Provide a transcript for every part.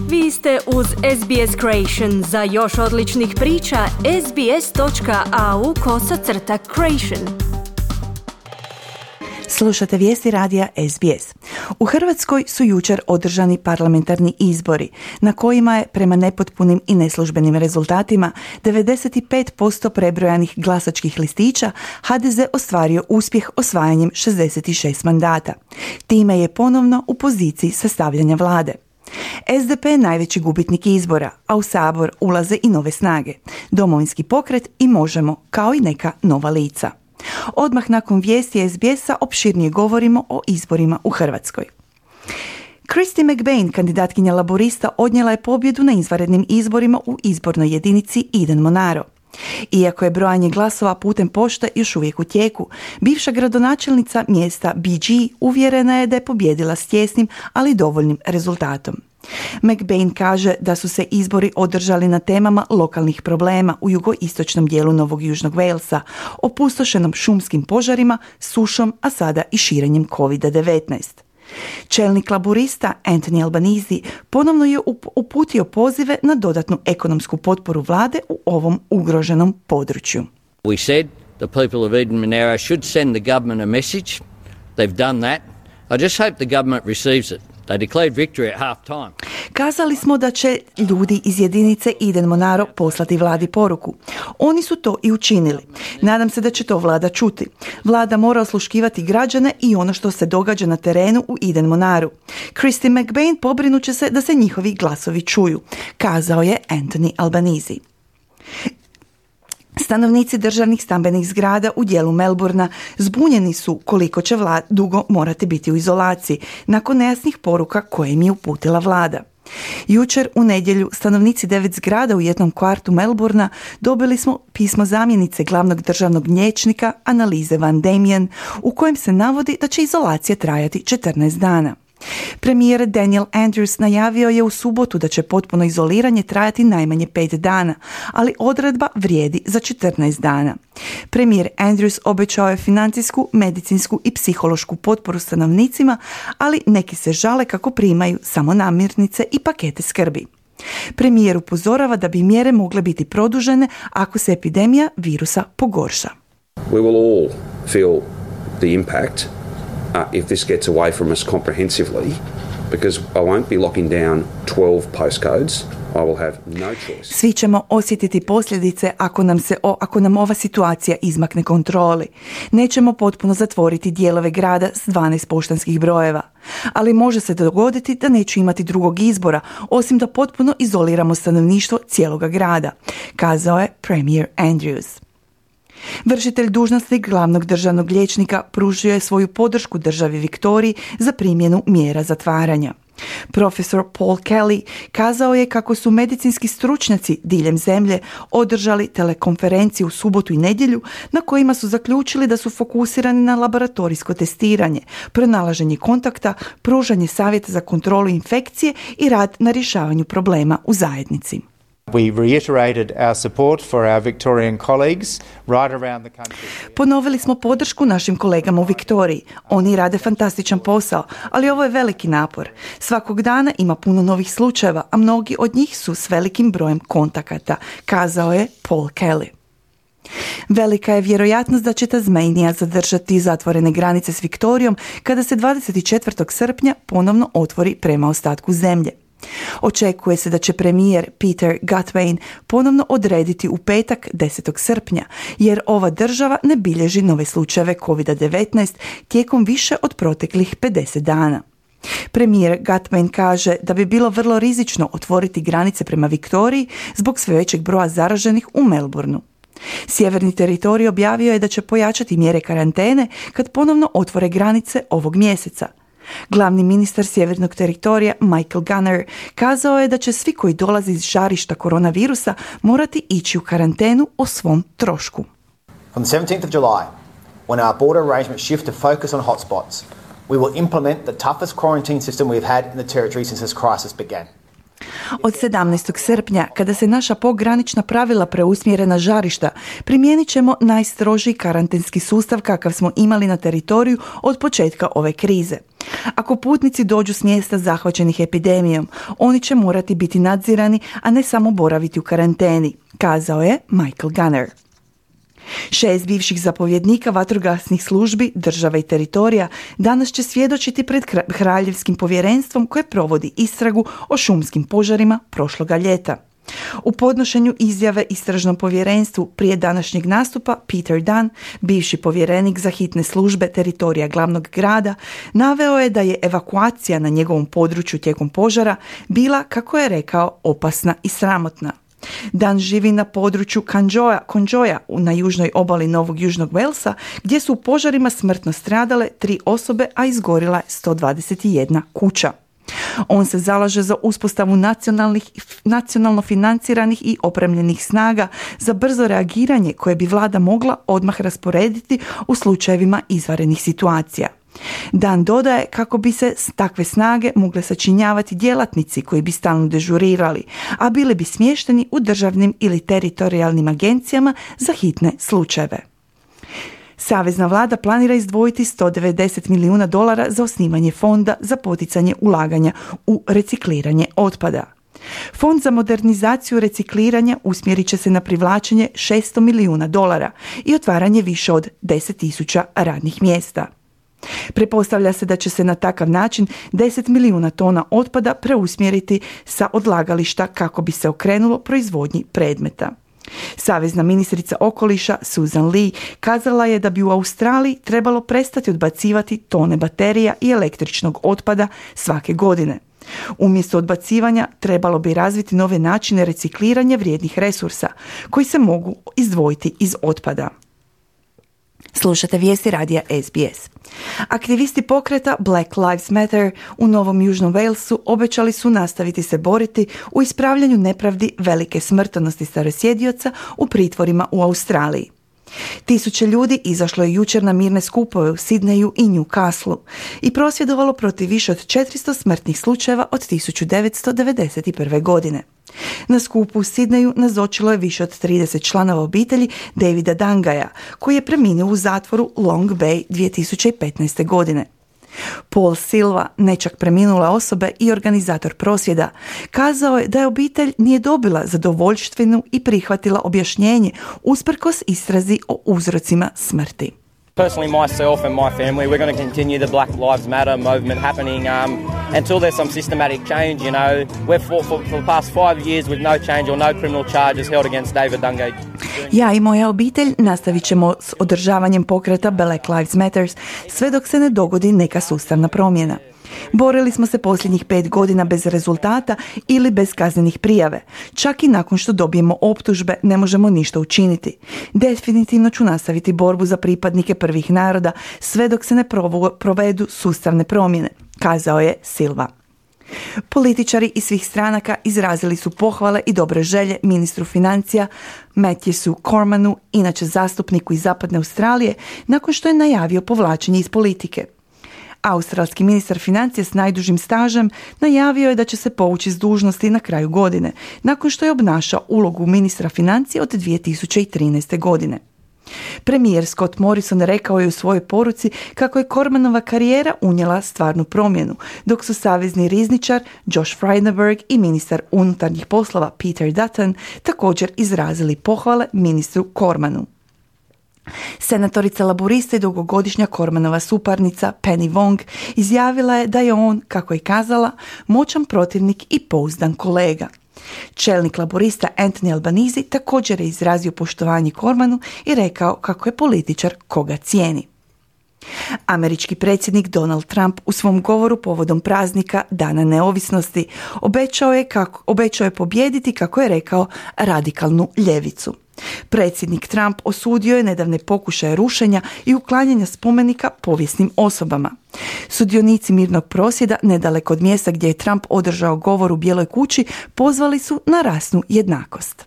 Vi ste uz SBS Creation. Za još odličnih priča, sbs.au/creation. Slušate vijesti radija SBS. U Hrvatskoj su jučer održani parlamentarni izbori, na kojima je, prema nepotpunim i neslužbenim rezultatima, 95% prebrojanih glasačkih listića HDZ ostvario uspjeh osvajanjem 66 mandata. Time je ponovno u poziciji sastavljanja vlade. SDP je najveći gubitnik izbora, a u Sabor ulaze i nove snage, Domovinski pokret i Možemo, kao i neka nova lica. Odmah nakon vijesti SBS-a opširnije govorimo o izborima u Hrvatskoj. Christy McBain, kandidatkinja laborista, odnijela je pobjedu na izvanrednim izborima u izbornoj jedinici Eden Monaro. Iako je brojanje glasova putem pošte još uvijek u tijeku, bivša gradonačelnica mjesta BG uvjerena je da je pobijedila s tjesnim, ali dovoljnim rezultatom. McBain kaže da su se izbori održali na temama lokalnih problema u jugoistočnom dijelu Novog Južnog Walesa, opustošenom šumskim požarima, sušom, a sada i širenjem COVID-19. Čelnik laborista Anthony Albanese ponovno je uputio pozive na dodatnu ekonomsku potporu vlade u ovom ugroženom području. We said the people of Eden Monaro should send the government a message. They've done that. I just hope the government receives it. They declared victory at half time. Kazali smo da će ljudi iz jedinice Eden Monaro poslati vladi poruku. Oni su to i učinili. Nadam se da će to vlada čuti. Vlada mora osluškivati građane i ono što se događa na terenu u Eden Monaru. Christy McBain pobrinuće se da se njihovi glasovi čuju, kazao je Anthony Albanese. Stanovnici državnih stambenih zgrada u dijelu Melbourna zbunjeni su koliko će dugo morati biti u izolaciji nakon nejasnih poruka koje im je uputila vlada. Jučer u nedjelju stanovnici 9 zgrada u jednom kvartu Melbourna dobili smo pismo zamjenice glavnog državnog liječnika Annalise Van Diemen u kojem se navodi da će izolacija trajati 14 dana. Premijer Daniel Andrews najavio je u subotu da će potpuno izoliranje trajati najmanje 5 dana, ali odredba vrijedi za 14 dana. Premijer Andrews obećao je financijsku, medicinsku i psihološku potporu stanovnicima, ali neki se žale kako primaju samo namirnice i pakete skrbi. Premijer upozorava da bi mjere mogle biti produžene ako se epidemija virusa pogorša. We will all feel the impact if this gets away from us comprehensively, because I won't be locking down 12 postcodes. I will have no choice. Svi ćemo osjetiti posljedice ako nam ova situacija izmakne kontroli. Nećemo potpuno zatvoriti dijelove grada s 12 poštanskih brojeva, ali može se dogoditi da neću imati drugog izbora, osim da potpuno izoliramo stanovništvo cijeloga grada, kazao je premijer Andrews. Vršitelj dužnosti glavnog državnog liječnika pružio je svoju podršku državi Viktoriji za primjenu mjera zatvaranja. Profesor Paul Kelly kazao je kako su medicinski stručnjaci diljem zemlje održali telekonferenciju u subotu i nedjelju na kojima su zaključili da su fokusirani na laboratorijsko testiranje, pronalaženje kontakta, pružanje savjeta za kontrolu infekcije i rad na rješavanju problema u zajednici. We reiterated our support for our Victorian colleagues right around the country. Ponovili smo podršku našim kolegama u Viktoriji. Oni rade fantastičan posao, ali ovo je veliki napor. Svakog dana ima puno novih slučajeva, a mnogi od njih su s velikim brojem kontakata, kazao je Paul Kelly. Velika je vjerojatnost da će Tasmania zadržati zatvorene granice s Viktorijom kada se 24. srpnja ponovno otvori prema ostatku zemlje. Očekuje se da će premijer Peter Gutwein ponovno odrediti u petak 10. srpnja, jer ova država ne bilježi nove slučajeve COVID-19 tijekom više od proteklih 50 dana. Premijer Gutwein kaže da bi bilo vrlo rizično otvoriti granice prema Viktoriji zbog sve većeg broja zaraženih u Melbourneu. Sjeverni teritorij objavio je da će pojačati mjere karantene kad ponovno otvore granice ovog mjeseca. Glavni ministar sjevernog teritorija Michael Gunner kazao je da će svi koji dolaze iz žarišta koronavirusa morati ići u karantenu o svom trošku. On the 17th of July, when our border arrangements shift to focus on hotspots, we will implement the toughest quarantine system we've had in the territory since this crisis began. Od 17. srpnja, kada se naša pogranična pravila preusmjere na žarišta, primijenit ćemo najstrožiji karantenski sustav kakav smo imali na teritoriju od početka ove krize. Ako putnici dođu s mjesta zahvaćenih epidemijom, oni će morati biti nadzirani, a ne samo boraviti u karanteni, kazao je Michael Gunner. 6 bivših zapovjednika vatrogasnih službi, država i teritorija danas će svjedočiti pred kraljevskim povjerenstvom koje provodi istragu o šumskim požarima prošloga ljeta. U podnošenju izjave istražnom povjerenstvu prije današnjeg nastupa Peter Dunn, bivši povjerenik za hitne službe teritorija glavnog grada, naveo je da je evakuacija na njegovom području tijekom požara bila, kako je rekao, opasna i sramotna. Dan živi na području Konjoja na južnoj obali Novog Južnog Walesa, gdje su u požarima smrtno stradale 3 osobe, a izgorila je 121 kuća. On se zalaže za uspostavu nacionalno financiranih i opremljenih snaga za brzo reagiranje koje bi vlada mogla odmah rasporediti u slučajevima izvanrednih situacija. Dan dodaje kako bi se takve snage mogle sačinjavati djelatnici koji bi stalno dežurirali, a bili bi smješteni u državnim ili teritorijalnim agencijama za hitne slučajeve. Savezna vlada planira izdvojiti $190 milijuna za osnivanje fonda za poticanje ulaganja u recikliranje otpada. Fond za modernizaciju recikliranja usmjerit će se na privlačenje $600 milijuna i otvaranje više od 10.000 radnih mjesta. Pretpostavlja se da će se na takav način 10 milijuna tona otpada preusmjeriti sa odlagališta kako bi se okrenulo proizvodnji predmeta. Savezna ministrica okoliša Susan Lee kazala je da bi u Australiji trebalo prestati odbacivati tone baterija i električnog otpada svake godine. Umjesto odbacivanja trebalo bi razviti nove načine recikliranja vrijednih resursa koji se mogu izdvojiti iz otpada. Slušate vijesti radija SBS. Aktivisti pokreta Black Lives Matter u Novom Južnom Walesu obećali su nastaviti se boriti u ispravljanju nepravdi velike smrtnosti starosjedioca u pritvorima u Australiji. Tisuće ljudi izašlo je jučer na mirne skupove u Sidneju i Newcastleu i prosvjedovalo protiv više od 400 smrtnih slučajeva od 1991. godine. Na skupu u Sidneju nazočilo je više od 30 članova obitelji Davida Dangaja, koji je preminuo u zatvoru Long Bay 2015. godine. Paul Silva, nečak preminule osobe i organizator prosvjeda, kazao je da je obitelj nije dobila zadovoljštvenu i prihvatila objašnjenje usprkos istrazi o uzrocima smrti. Personally, myself and my family, we're going to continue the Black Lives Matter movement happening until there's some systematic change, you know. We've fought for the past 5 years with no change or no criminal charges held against David Dungay. Ja i moja obitelj nastavit ćemo s održavanjem pokreta Black Lives Matter sve dok se ne dogodi neka sustavna promjena. Borili smo se posljednjih 5 godina bez rezultata ili bez kaznenih prijave. Čak i nakon što dobijemo optužbe ne možemo ništa učiniti. Definitivno ću nastaviti borbu za pripadnike prvih naroda sve dok se ne provedu sustavne promjene, kazao je Silva. Političari iz svih stranaka izrazili su pohvale i dobre želje ministru financija Matthewsu Cormanu, inače zastupniku iz Zapadne Australije, nakon što je najavio povlačenje iz politike. Australski ministar financija s najdužim stažem najavio je da će se povući s dužnosti na kraju godine, nakon što je obnašao ulogu ministra financija od 2013. godine. Premijer Scott Morrison rekao je u svojoj poruci kako je Cormanova karijera unijela stvarnu promjenu, dok su savezni rizničar Josh Frydenberg i ministar unutarnjih poslova Peter Dutton također izrazili pohvale ministru Cormanu. Senatorica laburista i dugogodišnja Cormanova suparnica Penny Wong izjavila je da je on, kako je kazala, moćan protivnik i pouzdan kolega. Čelnik laborista Anthony Albanese također je izrazio poštovanje Cormanu i rekao kako je političar koga cijeni. Američki predsjednik Donald Trump u svom govoru povodom praznika Dana neovisnosti obećao je pobijediti, kako je rekao, radikalnu ljevicu. Predsjednik Trump osudio je nedavne pokušaje rušenja i uklanjanja spomenika povijesnim osobama. Sudionici mirnog prosvjeda nedaleko od mjesta gdje je Trump održao govor u Bijeloj kući pozvali su na rasnu jednakost.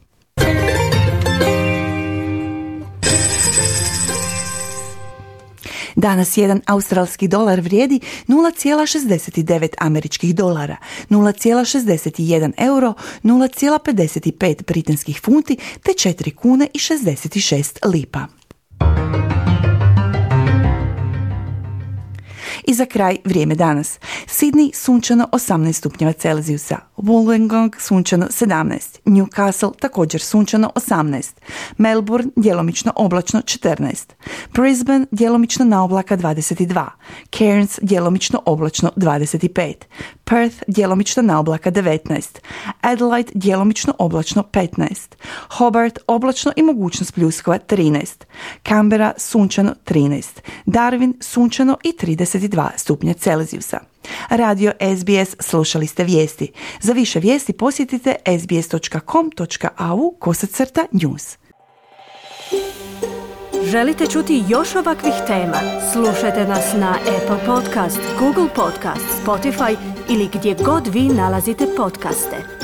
Danas jedan australski dolar vrijedi 0,69 američkih dolara, 0,61 euro, 0,55 britanskih funti te 4 kune i 66 lipa. I za kraj vrijeme danas. Sydney sunčano 18 stupnjeva Celzijusa, Wollongong sunčano 17, Newcastle također sunčano 18, Melbourne djelomično oblačno 14, Brisbane djelomično na oblaka 22, Cairns djelomično oblačno 25, Perth djelomično na oblaka 19, Adelaide djelomično oblačno 15, Hobart oblačno i mogućnost pljuskova 13, Canberra sunčano 13, Darwin sunčano i 32 stupnja Celzijusa. Radio SBS, slušali ste vijesti. Za više vijesti posjetite sbs.com.au/news. Želite čuti još ovakvih tema? Slušajte nas na Apple Podcast, Google Podcast, Spotify ili gdje god vi nalazite podcaste.